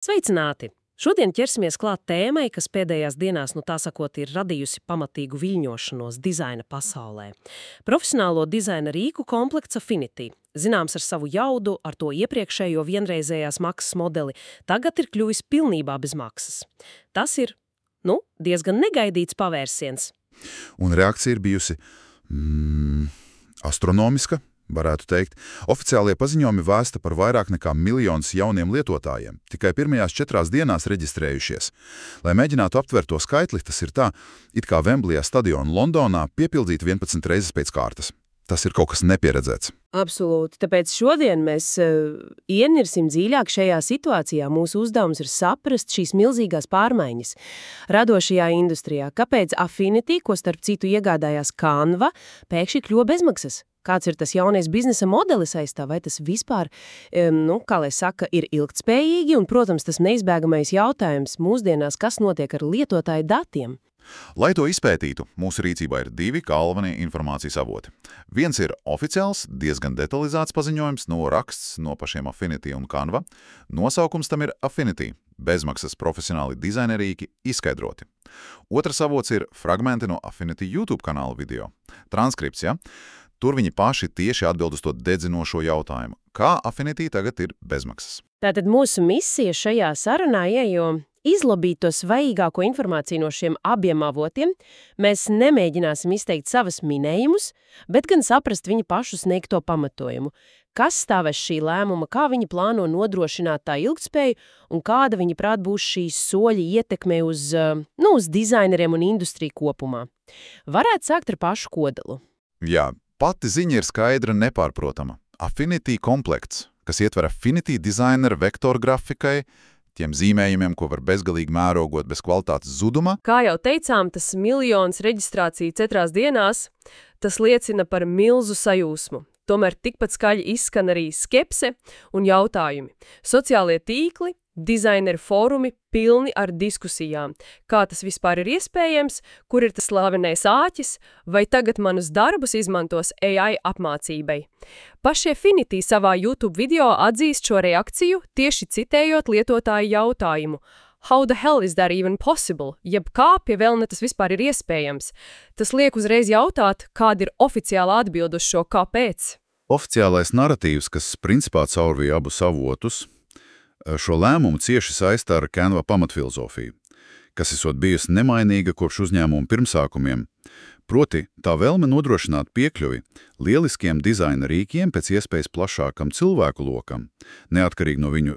Sveicināti! Šodien ķersimies klāt tēmai, kas pēdējās dienās, tā sakot, ir radījusi pamatīgu viļņošanos dizaina pasaulē. Profesionālo dizaina rīku komplekts Affinity, zināms ar savu jaudu, ar to iepriekšējo vienreizējās maksas modeli, tagad ir kļuvis pilnībā bez maksas. Tas ir, diezgan negaidīts pavērsiens. Un reakcija ir bijusi astronomiska. Varētu teikt, oficiālie paziņojumi vēsta par vairāk nekā 1 miljonu jauniem lietotājiem, tikai pirmajās 4 dienās reģistrējušies. Lai mēģinātu aptvert to skaitli, tas ir tā, it kā Vemblija stadionu Londonā piepildīt 11 reizes pēc kārtas. Tas ir kaut kas nepieredzēts. Absolūti. Tāpēc šodien mēs ienirsim dziļāk šajā situācijā. Mūsu uzdevums ir saprast šīs milzīgās pārmaiņas radošajā industrijā. Kāpēc Affinity, ko starp citu iegādājās Canva, pēkšņi kļuva bezmaksas? Kāds ir tas jaunais biznesa modelis aiz tā, vai tas vispār, kā lai saka, ir ilgtspējīgi, un, protams, tas neizbēgamais jautājums mūsdienās, kas notiek ar lietotāju datiem. Lai to izpētītu, mūsu rīcībā ir 2 galvenie informācijas avoti. Viens ir oficiāls, diezgan detalizēts paziņojums, raksts no pašiem Affinity un Canva. Nosaukums tam ir Affinity, bezmaksas profesionāli dizainerīki izskaidroti. Otrs avots ir fragmenti no Affinity YouTube kanāla video. Transkripts, ja? Tur viņi paši tieši atbild uz to dedzinošo jautājumu. Kā Affinity tagad ir bezmaksas? Tātad mūsu misija šajā sarunā izlabīt to svaigāko informāciju no šiem abiem avotiem. Mēs nemēģināsim izteikt savas minējumus, bet gan saprast viņu pašu sniegto pamatojumu. Kas stāv aiz šī lēmuma, kā viņi plāno nodrošināt tā ilgtspēju un kāda viņi prāt būs šīs soļi ietekme uz dizaineriem un industriju kopumā. Varētu sākt ar pašu kodolu. Jā. Pati ziņa ir skaidra un nepārprotama. Affinity komplekts, kas ietver Affinity designer vektoru grafikai, tiem zīmējumiem, ko var bezgalīgi mērogot bez kvalitātes zuduma. Kā jau teicām, tas 1 miljons reģistrāciju 4 dienās, tas liecina par milzu sajūsmu. Tomēr tikpat skaļi izskan arī skepse un jautājumi. Sociālie tīkli, dizaineru fórumi pilni ar diskusijām. Kā tas vispār ir iespējams, kur ir tas slavenais āķis, vai tagad manus darbus izmantos AI apmācībai. Paši Affinity savā YouTube video atzīst šo reakciju, tieši citējot lietotāju jautājumu. How the hell is that even possible? Jeb kā pie vēlne tas vispār ir iespējams? Tas liek uzreiz jautāt, kāda ir oficiāla atbilde uz šo kāpēc. Oficiālais naratīvs, kas principā caurvīja abus avotus, šo lēmumu cieši saista ar Canva pamatfilozofiju, kas esot bijusi nemainīga kopš uzņēmuma pirmsākumiem, proti tā vēlme nodrošināt piekļuvi lieliskiem dizaina rīkiem pēc iespējas plašākam cilvēku lokam, neatkarīgi no viņu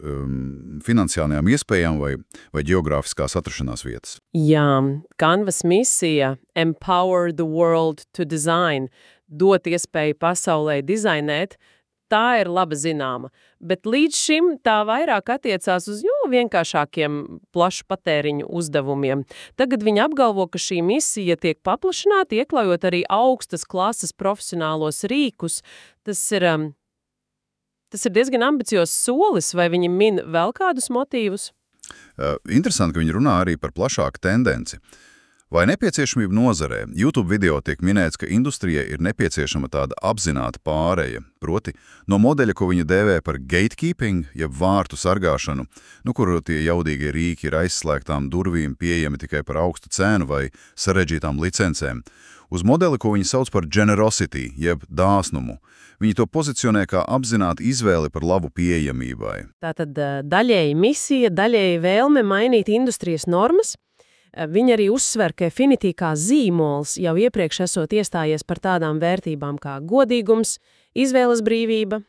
finansiālajām iespējām vai geogrāfiskās atrašanās vietas. Jā, Canvas misija Empower the world to design, dot iespēju pasaulē dizainēt, tā ir laba zināma, bet līdz šim tā vairāk attiecās uz vienkāršākiem plašu patēriņu uzdevumiem. Tagad viņi apgalvo, ka šī misija tiek paplašināta, iekļaujot arī augstas klases profesionālos rīkus. Tas ir diezgan ambiciozs solis, vai viņi min vēl kādus motīvus? Interesanti, ka viņi runā arī par plašāku tendenci. Vai nepieciešamība nozarē? YouTube video tiek minēts, ka industrijai ir nepieciešama tāda apzināta pāreja, proti no modeļa, ko viņi dēvē par gatekeeping, jeb vārtu sargāšanu, kur tie jaudīgie rīki ir aizslēgtām durvīm pieejami tikai par augstu cenu vai sarežģītām licencēm, uz modeli, ko viņi sauc par generosity, jeb dāsnumu. Viņi to pozicionē kā apzinātu izvēli par labu pieejamībai. Tātad daļēji misija, daļēji vēlme mainīt industrijas normas. Viņi arī uzsver, ka Affinity kā zīmols jau iepriekš esot iestājies par tādām vērtībām kā godīgums, izvēles brīvība,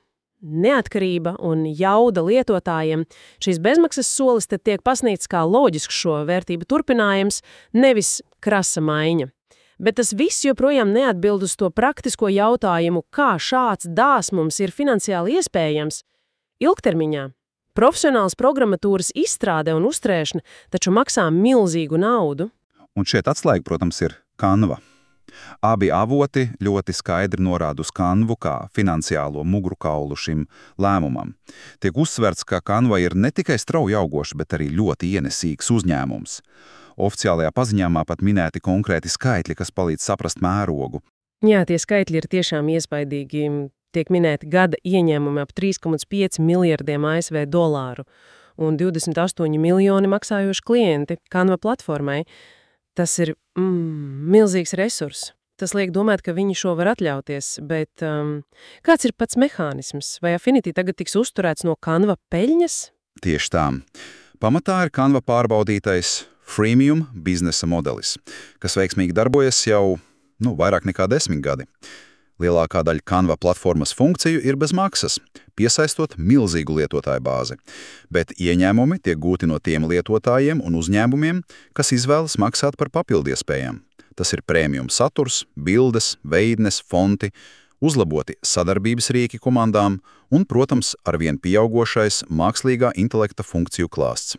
neatkarība un jauda lietotājiem. Šīs bezmaksas solis te tiek pasniegts kā loģisks šo vērtību turpinājums, nevis krasa maiņa. Bet tas viss joprojām neatbild uz to praktisko jautājumu, kā šāds dāsmums ir finansiāli iespējams ilgtermiņā. Profesionāls programmatūras izstrāde un uzturēšana taču maksā milzīgu naudu. Un šeit atslēga, protams, ir Canva. Abi avoti ļoti skaidri norāda uz Canvu kā finansiālo mugurkaulu šim lēmumam. Tiek uzsverts, ka Canva ir ne tikai strauji augošs, bet arī ļoti ienesīgs uzņēmums. Oficiālajā paziņāmā pat minēti konkrēti skaitļi, kas palīdz saprast mērogu. Jā, tie skaitļi ir tiešām iespaidīgi. Tiek minēti gada ieņēmumi ap 3,5 miljardiem ASV dolāru. un 28 miljoni maksājoši klienti Canva platformai. Tas ir milzīgs resurs. Tas liek domāt, ka viņi šo var atļauties, bet kāds ir pats mehānisms? Vai Affinity tagad tiks uzturēts no Canva peļņas? Tieši tā. Pamatā ir Canva pārbaudītais freemium biznesa modelis, kas veiksmīgi darbojas jau vairāk nekā 10 gadi. Lielākā daļa Canva platformas funkciju ir bez maksas, piesaistot milzīgu lietotāju bāzi, bet ieņēmumi tiek gūti no tiem lietotājiem un uzņēmumiem, kas izvēlas maksāt par papildiespējām. Tas ir premium saturs, bildes, veidnes, fonti, uzlaboti sadarbības rīki komandām un, protams, arvien pieaugošais mākslīgā intelekta funkciju klāsts.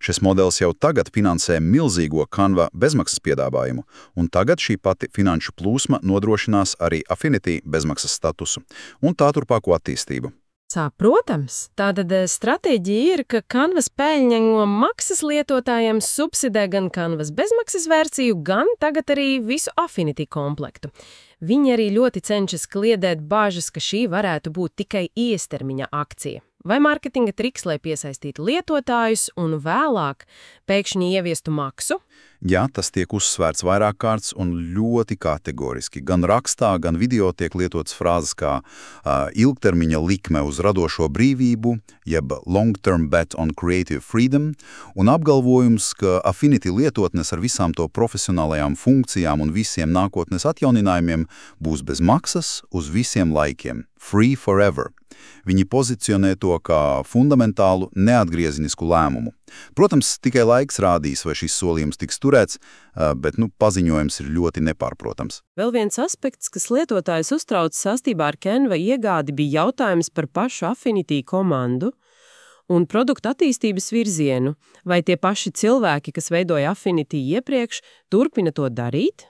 Šis modelis jau tagad finansē milzīgo Canva bezmaksas piedāvājumu, un tagad šī pati finanšu plūsma nodrošinās arī Affinity bezmaksas statusu un tā turpāko attīstību. Protams, tātad stratēģija ir, ka Canvas peļņa no maksas lietotājiem subsidē gan Canvas bezmaksas versiju, gan tagad arī visu Affinity komplektu. Viņi arī ļoti cenšas kliedēt bāžas, ka šī varētu būt tikai īstermiņa akcija. Vai mārketinga triks, lai piesaistītu lietotājus un vēlāk pēkšņi ieviestu maksu? Jā, tas tiek uzsvērts vairāk kārts un ļoti kategoriski. Gan rakstā, gan video tiek lietotas frāzes kā ilgtermiņa likme uz radošo brīvību, jeb long-term bet on creative freedom, un apgalvojums, ka Affinity lietotnes ar visām to profesionālajām funkcijām un visiem nākotnes atjauninājumiem būs bez maksas uz visiem laikiem. Free forever. Viņi pozicionē to kā fundamentālu, neatgriezinisku lēmumu. Protams, tikai laiks rādīs, vai šis solījums tiks turēts, bet paziņojums ir ļoti nepārprotams. Vēl viens aspekts, kas lietotājs uztrauc saistībā ar Canva iegādi, bija jautājums par pašu Affinity komandu un produktu attīstības virzienu. Vai tie paši cilvēki, kas veidoja Affinity iepriekš, turpina to darīt?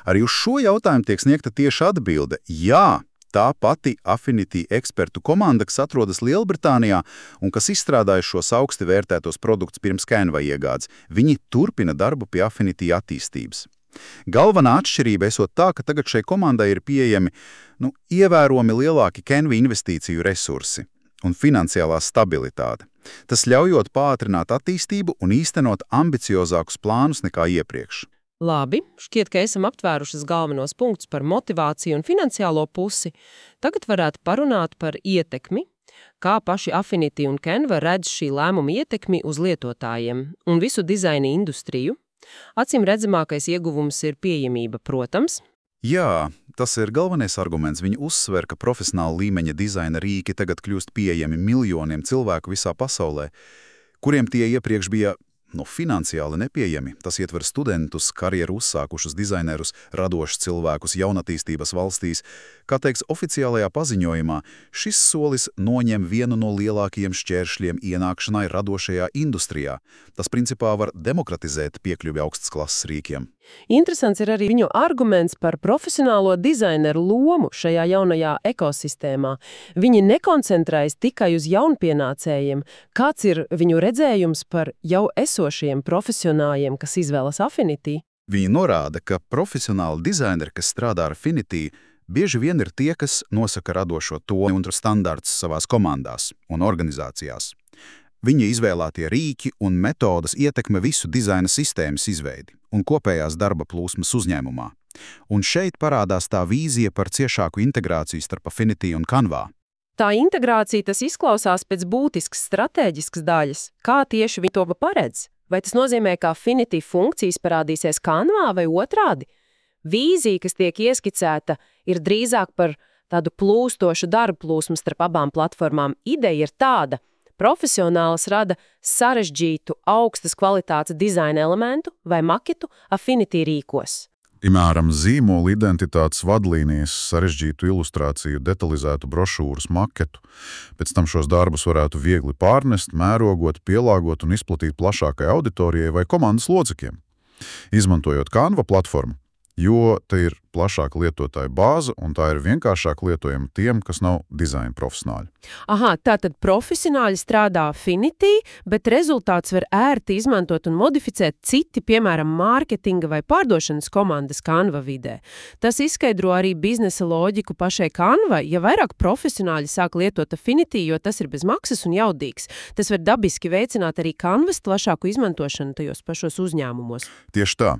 Arī uz šo jautājumu tiek sniegta tieša atbilde – jā. Tā pati Affinity ekspertu komanda, kas atrodas Lielbritānijā un kas izstrādāja šos augsti vērtētos produktus pirms Canva iegādes, viņi turpina darbu pie Affinity attīstības. Galvenā atšķirība esot tā, ka tagad šai komandai ir pieejami ievērojami lielāki Canva investīciju resursi un finansiālā stabilitāte. Tas ļaujot pātrināt attīstību un īstenot ambiciozākus plānus nekā iepriekš. Labi, šķiet, ka esam aptvērušas galvenos punktus par motivāciju un finansiālo pusi. Tagad varētu parunāt par ietekmi, kā paši Affinity un Canva redz šī lēmuma ietekmi uz lietotājiem un visu dizaina industriju. Acīm redzamākais ieguvums ir pieejamība, protams. Jā, tas ir galvenais arguments. Viņi uzsver, ka profesionāla līmeņa dizaina rīki tagad kļūst pieejami miljoniem cilvēku visā pasaulē, kuriem tie iepriekš bija finansiāli nepieejami. Tas ietver studentus, karjeru uzsākušus dizainerus, radošus cilvēkus jaunatīstības valstīs. Kā teiks oficiālajā paziņojumā, šis solis noņem vienu no lielākajiem šķēršļiem ienākšanai radošajā industrijā. Tas principā var demokratizēt piekļuvi augstas klases rīkiem. Interesants ir arī viņu arguments par profesionālo dizaineru lomu šajā jaunajā ekosistēmā. Viņi nekoncentrējas tikai uz jaunpienācējiem. Kāds ir viņu redzējums par jau esošiem profesionāļiem, kas izvēlas Affinity? Viņi norāda, ka profesionāli dizaineri, kas strādā ar Affinity, bieži vien ir tie, kas nosaka radošo toni un standartus savās komandās un organizācijās. Viņa izvēlētie rīki un metodas ietekmē visu dizaina sistēmas izveidi un kopējās darba plūsmas uzņēmumā. Un šeit parādās tā vīzija par ciešāku integrāciju starp Affinity un Canva. Tā integrācija tas izklausās pēc būtiskas stratēģiskas daļas. Kā tieši viņi to paredz? Vai tas nozīmē, ka Affinity funkcijas parādīsies Canva vai otrādi? Vīzija, kas tiek ieskicēta, ir drīzāk par tādu plūstošu darba plūsmu starp abām platformām. Ideja ir tāda. Profesionāls rada sarežģītu, augstas kvalitātes dizaina elementu vai maketu Affinity rīkos. Piemēram, zīmola identitātes vadlīnijas, sarežģītu ilustrāciju, detalizētu brošūras maketu. Pēc tam šos darbus varētu viegli pārnest, mērogot, pielāgot un izplatīt plašākai auditorijai vai komandas locekļiem. Izmantojot Canva platformu, jo te ir plašāka lietotāju bāze, un tā ir vienkāršāk lietojama tiem, kas nav dizaina profesionāļi. Aha, tātad profesionāļi strādā Affinity, bet rezultāts var ērti izmantot un modificēt citi, piemēram, mārketinga vai pārdošanas komandas Canva vidē. Tas izskaidro arī biznesa loģiku pašai Canva, ja vairāk profesionāļi sāk lietot Affinity, jo tas ir bez maksas un jaudīgs. Tas var dabiski veicināt arī Canvas plašāku izmantošanu tajos pašos uzņēmumos. Tieši tā.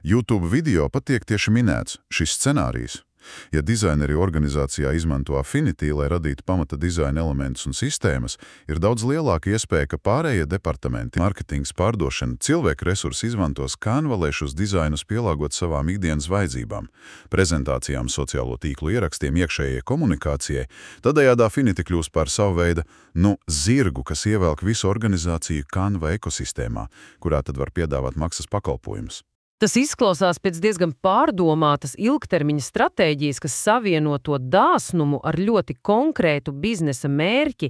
YouTube video pat tiek tieši minēts šis scenārijs. Ja dizaineri organizācijā izmanto Affinity, lai radītu pamata dizaina elementus un sistēmas, ir daudz lielāka iespēja, ka pārējie departamenti, mārketings, pārdošana, cilvēku resursi izmantos Canva, lai šos dizainus pielāgot savām ikdienas vajadzībām, prezentācijām, sociālo tīklu ierakstiem, iekšējai komunikācijai. Tādējādi Affinity kļūst par savu veidu, zirgu, kas ievelk visu organizāciju Canva ekosistēmā, kurā tad var piedāvāt maksas pakalpojumus. Tas izklausās pēc diezgan pārdomātas ilgtermiņa stratēģijas, kas savieno to dāsnumu ar ļoti konkrētu biznesa mērķi,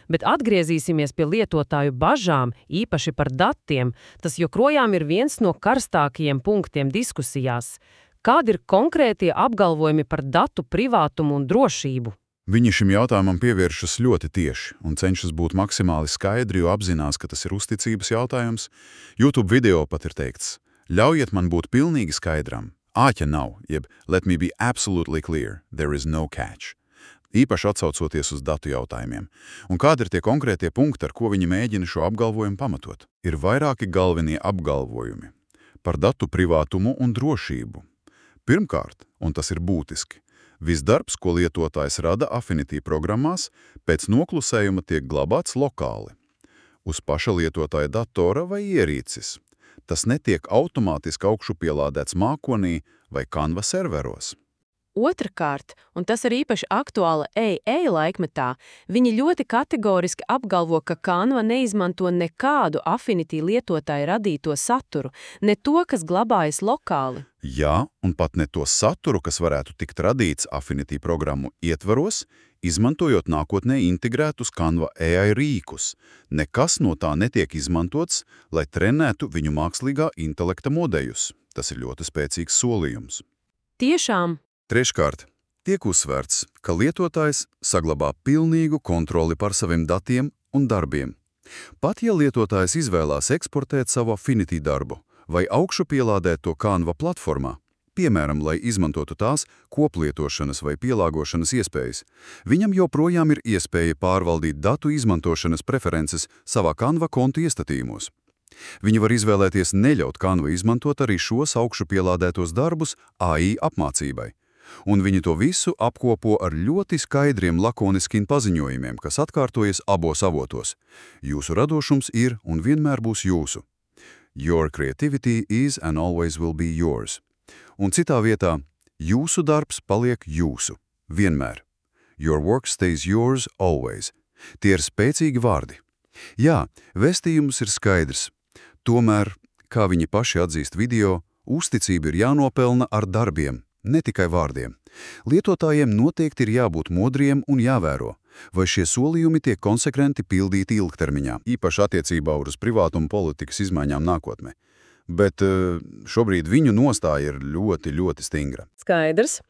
bet atgriezīsimies pie lietotāju bažām, īpaši par datiem. Tas joprojām ir viens no karstākajiem punktiem diskusijās. Kādi ir konkrētie apgalvojumi par datu privātumu un drošību? Viņi šim jautājumam pievēršas ļoti tieši un cenšas būt maksimāli skaidri, jo apzinās, ka tas ir uzticības jautājums. YouTube video pat ir teikts: ļaujiet man būt pilnīgi skaidram. Āķa nav, jeb let me be absolutely clear, there is no catch. Īpaši atsaucoties uz datu jautājumiem. Un kādi ir tie konkrētie punkti, ar ko viņi mēģina šo apgalvojumu pamatot? Ir vairāki galvenie apgalvojumi par datu privātumu un drošību. Pirmkārt, un tas ir būtiski, viss darbs, ko lietotājs rada Affinity programmās, pēc noklusējuma tiek glabāts lokāli, uz paša lietotāja datora vai ierīces. Tas netiek automātiski augšupielādēts mākonī vai Canva serveros. Otrakārt, un tas ir īpaši aktuāli AI laikmetā, viņi ļoti kategoriski apgalvo, ka Canva neizmanto nekādu Affinity lietotāju radīto saturu, ne to, kas glabājas lokāli. Jā, un pat ne to saturu, kas varētu tikt radīts Affinity programmu ietvaros, izmantojot nākotnē integrētus Canva AI rīkus. Nekas no tā netiek izmantots, lai trenētu viņu mākslīgā intelekta modeļus. Tas ir ļoti spēcīgs solījums. Tiešām. Treškārt, tiek uzsvērts, ka lietotājs saglabā pilnīgu kontroli par saviem datiem un darbiem. Pat ja lietotājs izvēlās eksportēt savu Affinity darbu vai augšupielādēt to Canva platformā, piemēram, lai izmantotu tās koplietošanas vai pielāgošanas iespējas, viņam joprojām ir iespēja pārvaldīt datu izmantošanas preferences savā Canva konta iestatījumos. Viņi var izvēlēties neļaut Canva izmantot arī šos augšupielādētos darbus AI apmācībai. Un viņi to visu apkopo ar ļoti skaidriem lakoniskiem paziņojumiem, kas atkārtojas abos avotos. Jūsu radošums ir un vienmēr būs jūsu. Your creativity is and always will be yours. Un citā vietā, jūsu darbs paliek jūsu, vienmēr. Your work stays yours always. Tie ir spēcīgi vārdi. Jā, vēstījums ir skaidrs. Tomēr, kā viņi paši atzīst video, uzticība ir jānopelna ar darbiem, ne tikai vārdiem. Lietotājiem noteikti ir jābūt modriem un jāvēro, vai šie solījumi tiek konsekventi pildīti ilgtermiņā, īpaši attiecībā uz privātuma politikas izmaiņām nākotnē. Bet šobrīd viņu nostāja ir ļoti, ļoti stingra. Skaidrs.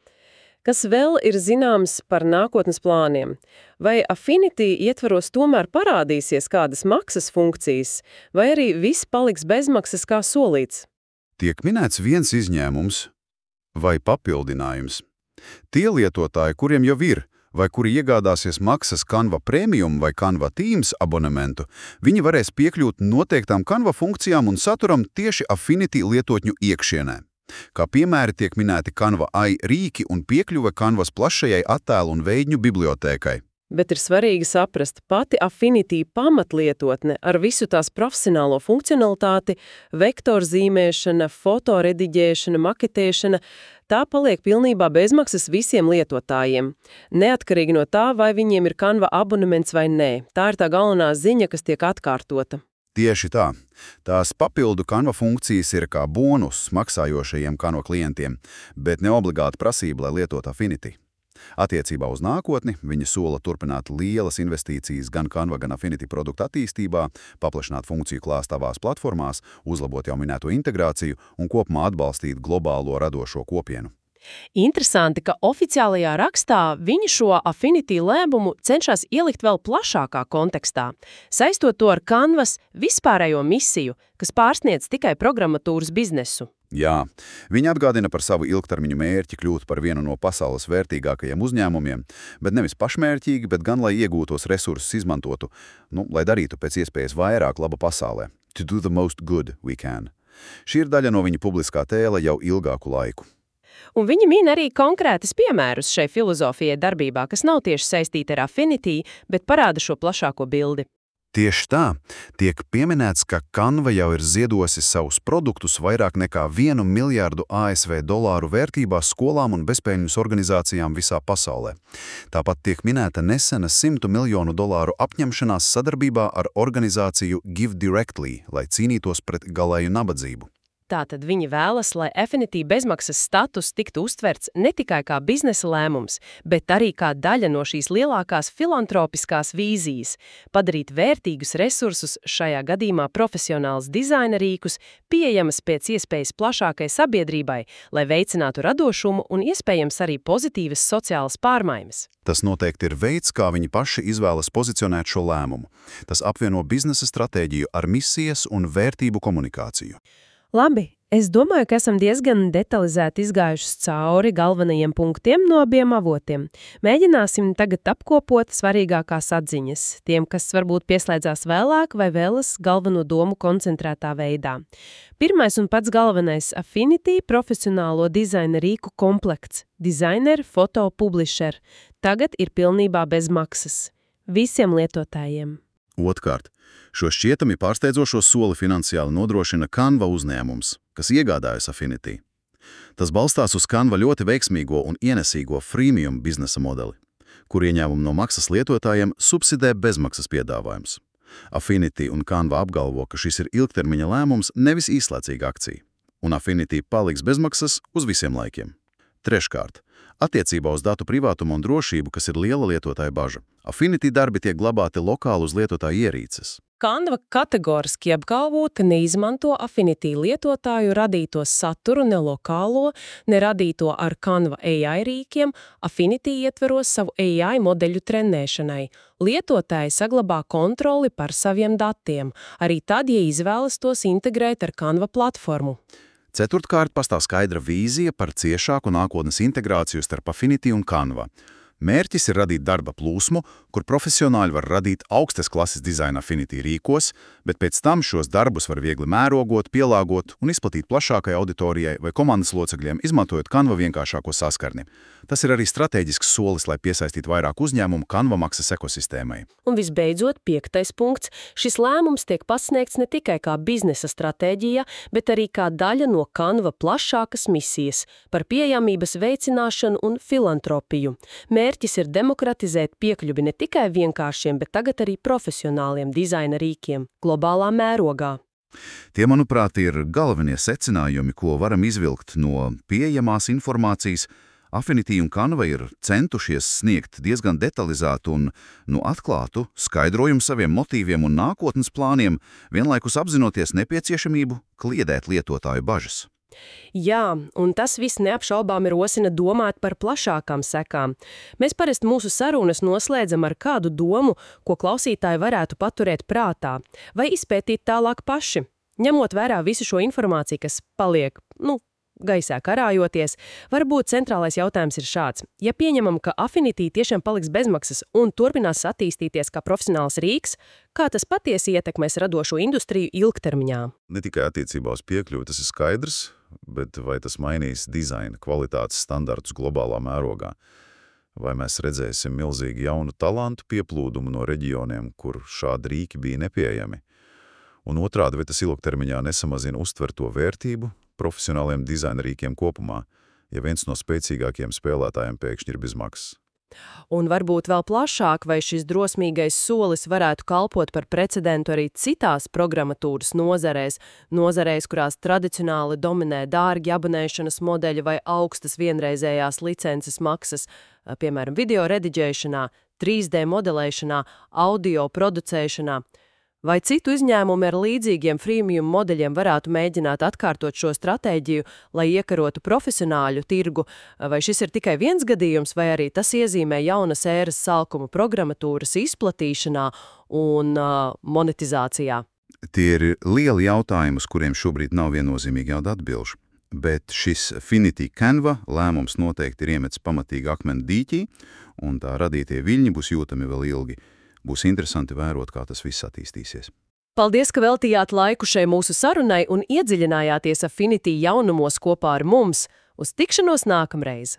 Kas vēl ir zināms par nākotnes plāniem? Vai Affinity ietvaros tomēr parādīsies kādas maksas funkcijas, vai arī viss paliks bezmaksas kā solīts? Tiek minēts viens izņēmums vai papildinājums. Tie lietotāji, kuriem jau ir, vai kuri iegādāsies maksas Canva Premium vai Canva Teams abonementu, viņi varēs piekļūt noteiktām Canva funkcijām un saturam tieši Affinity lietotņu iekšienē. Kā piemēri tiek minēti Canva AI rīki un piekļuve Canvas plašajai attēlu un veidņu bibliotēkai. Bet ir svarīgi saprast, pati Affinity pamatlietotne ar visu tās profesionālo funkcionalitāti, vektorzīmēšana, fotorediģēšana, maketēšana, tā paliek pilnībā bezmaksas visiem lietotājiem. Neatkarīgi no tā, vai viņiem ir Canva abonements vai nē. Tā ir tā galvenā ziņa, kas tiek atkārtota. Tieši tā. Tās papildu Canva funkcijas ir kā bonus maksājošajiem Canva klientiem, bet ne obligāti prasība, lai lietot Affinity. Attiecībā uz nākotni viņi sola turpināt lielas investīcijas gan Canva, gan Affinity produktu attīstībā, paplašināt funkciju klāstu tavās platformās, uzlabot jau minēto integrāciju un kopumā atbalstīt globālo radošo kopienu. Interesanti, ka oficiālajā rakstā viņi šo Affinity lēmumu cenšas ielikt vēl plašākā kontekstā, saistot to ar Canvas vispārējo misiju, kas pārsniedz tikai programmatūras biznesu. Jā, viņi atgādina par savu ilgtermiņu mērķi kļūt par vienu no pasaules vērtīgākajiem uzņēmumiem, bet nevis pašmērķīgi, bet gan lai iegūtos resursus izmantotu, lai darītu pēc iespējas vairāk laba pasaulē. To do the most good we can. Šī ir daļa no viņa publiskā tēla jau ilgāku laiku. Un viņi min arī konkrētus piemērus šai filozofijai darbībā, kas nav tieši saistīti ar Affinity, bet parāda šo plašāko bildi. Tieši tā, tiek pieminēts, ka Canva jau ir ziedosi savus produktus vairāk nekā 1 miljārdu ASV dolāru vērtībā skolām un bezpēļņas organizācijām visā pasaulē. Tāpat tiek minēta nesena $100 miljonu apņemšanās sadarbībā ar organizāciju Give Directly, lai cīnītos pret galēju nabadzību. Tātad viņi vēlas, lai Affinity bezmaksas status tiktu uztverts ne tikai kā biznesa lēmums, bet arī kā daļa no šīs lielākās filantropiskās vīzijas – padarīt vērtīgus resursus, šajā gadījumā profesionāls dizaina rīkus, pieejamas pēc iespējas plašākai sabiedrībai, lai veicinātu radošumu un iespējams arī pozitīvas sociālas pārmaiņas. Tas noteikti ir veids, kā viņi paši izvēlas pozicionēt šo lēmumu. Tas apvieno biznesa stratēģiju ar misijas un vērtību komunikāciju. Labi, es domāju, ka esam diezgan detalizēti izgājuši cauri galvenajiem punktiem no abiem avotiem. Mēģināsim tagad apkopot svarīgākās atziņas, tiem, kas varbūt pieslēdzās vēlāk vai vēlas galveno domu koncentrētā veidā. Pirmais un pats galvenais – Affinity profesionālo dizaina rīku komplekts, designer, foto, publisher. Tagad ir pilnībā bez maksas. Visiem lietotājiem. Otkārt, šo šķietami pārsteidzošo soli finansiāli nodrošina Canva uzņēmums, kas iegādājas Affinity. Tas balstās uz Canva ļoti veiksmīgo un ienesīgo freemium biznesa modeli, kur ieņēmumu no maksas lietotājiem subsidē bezmaksas piedāvājums. Affinity un Canva apgalvo, ka šis ir ilgtermiņa lēmums, nevis īslaicīga akcija, un Affinity paliks bezmaksas uz visiem laikiem. Treškārt, attiecībā uz datu privātumu un drošību, kas ir liela lietotāja baža, Affinity darbi tiek glabāti lokāli uz lietotāja ierīces. Canva kategoriski apgalvo, ka neizmanto Affinity lietotāju radīto saturu ne lokālo, ne radīto ar Canva AI rīkiem, Affinity ietveros savu AI modeļu trenēšanai. Lietotāji saglabā kontroli par saviem datiem, arī tad, ja izvēlas tos integrēt ar Canva platformu. Ceturtkārt, pastāv skaidra vīzija par ciešāku nākotnes integrāciju starp Affinity un Canva. Mērķis ir radīt darba plūsmu, kur profesionāļi var radīt augstas klases dizaina Affinity rīkos, bet pēc tam šos darbus var viegli mērogot, pielāgot un izplatīt plašākai auditorijai vai komandas locekļiem, izmantojot Canva vienkāršāko saskarni. Tas ir arī strateģisks solis, lai piesaistītu vairāk uzņēmumu Canva maksas ekosistēmai. Un visbeidzot, 5. punkts. Šis lēmums tiek pasniegts ne tikai kā biznesa stratēģija, bet arī kā daļa no Canva plašākas misijas par pieejamības veicināšanu un filantropiju. Mērķis ir demokratizēt piekļuvi ne tikai vienkāršiem, bet tagad arī profesionāliem dizaina rīkiem globālā mērogā. Tie, manuprāt, ir galvenie secinājumi, ko varam izvilkt no pieejamās informācijas. Affinity un Canva ir centušies sniegt diezgan detalizētu un atklātu skaidrojumu saviem motīviem un nākotnes plāniem, vienlaikus apzinoties nepieciešamību kliedēt lietotāju bažas. Jā, un tas viss neapšaubām ir rosina domāt par plašākām sekām. Mēs parasti mūsu sarunas noslēdzam ar kādu domu, ko klausītāji varētu paturēt prātā, vai izpētīt tālāk paši, ņemot vērā visu šo informāciju, kas paliek, gaisā karājoties. Varbūt centrālais jautājums ir šāds. Ja pieņemam, ka Affinity tiešām paliks bezmaksas un turpinās attīstīties kā profesionāls rīks, kā tas patiesi ietekmēs radošo industriju ilgtermiņā? Ne tikai attiecībā uz piekļuvi tas ir skaidrs, bet vai tas mainīs dizaina kvalitātes standartus globālā mērogā? Vai mēs redzēsim milzīgi jaunu talantu pieplūdumu no reģioniem, kur šādi rīki bija nepieejami? Un otrādi, vai tas ilgtermiņā nesamazina uztverto vērtību profesionāliem dizaina rīkiem kopumā, ja viens no spēcīgākiem spēlētājiem pēkšņi ir bez maksas? Un varbūt vēl plašāk, vai šis drosmīgais solis varētu kalpot par precedentu arī citās programmatūras nozarēs, kurās tradicionāli dominē dārgi abonēšanas modeļi vai augstas vienreizējās licences maksas, piemēram, video rediģēšanā, 3D modelēšanā, audio producēšanā. Vai citu uzņēmumu ar līdzīgiem freemium modeļiem varētu mēģināt atkārtot šo stratēģiju, lai iekarotu profesionāļu tirgu, vai šis ir tikai viens gadījums, vai arī tas iezīmē jaunas ēras sākumu programmatūras izplatīšanā un monetizācijā? Tie ir lieli jautājumi, uz kuriem šobrīd nav viennozīmīgi jauda atbilžu. Bet šis Finity Canva lēmums noteikti ir iemetis pamatīgi akmeni dīķī, un tā radītie viļņi būs jūtami vēl ilgi. Būs interesanti vērot, kā tas viss attīstīsies. Paldies, ka veltījāt laiku šai mūsu sarunai un iedziļinājāties Affinity jaunumos kopā ar mums. Uz tikšanos nākamreiz!